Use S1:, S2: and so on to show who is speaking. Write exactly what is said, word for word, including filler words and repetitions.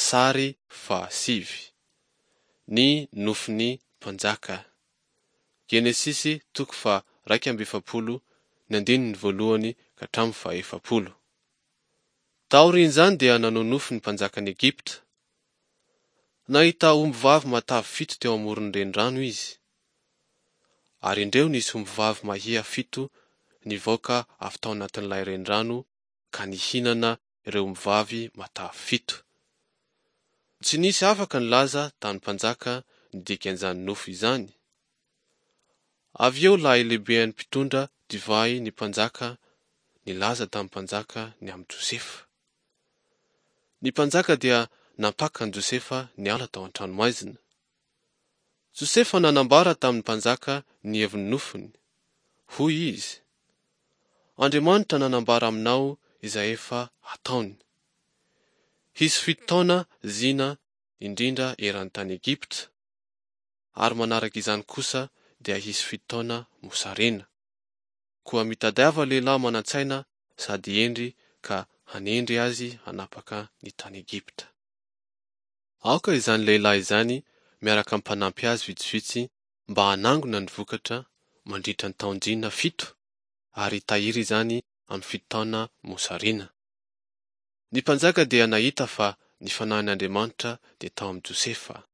S1: Sary fahasivy. Ny nofin'ny mpanjaka. Genesisy toko faha-raika amby efapolo ny andininy voalohany ka hatramin'ny fahefapolo. Taorian'izany dia nanao nofy ny mpanjakan'i Egypta. Nahita ombivavy matavy fito teo amoron'ny renirano izy. Ary indreo nisy ombivavy mahia fito nivoaka avy tao anatin'ilay renirano ka nihinana ireo ombivavy matavy fito. Tsy nisy afaka nilaza tamin'ny mpanjaka ny dikan'izany nofy izany. Avy eo ilay lehiben'ny mpitondra divay ny mpanjaka nilaza tamin'ny mpanjaka ny amin'i Josefa. Ny mpanjaka dia nampaka an'i Josefa niala tao an-tranomaizina. Josefa nanambara tamin'ny mpanjaka ny heviny nofiny. Hoy izy: Andriamanitra nanambara aminao izay efa hataony. Hisy fito taona zina indrindra eran'ny tany Egypta, ary manaraka izany kosa dia hisy fito taona mosarena. Koa mitadiava lehilahy manan-tsaina sady hendry ka hanendry azy hanapaka ny tany Egypta. Aoka izany lehilahy izany miaraka amin'ny mpanampy azy vitsivitsy mba hanangona ny vokatra mandritra ny taon-jina fito ary hitahiry izany amin'ny fito taona mosarena. Ny mpanjaka dia nahita fa ny fanahin'Andriamanitra dia tao amin'i Josefa.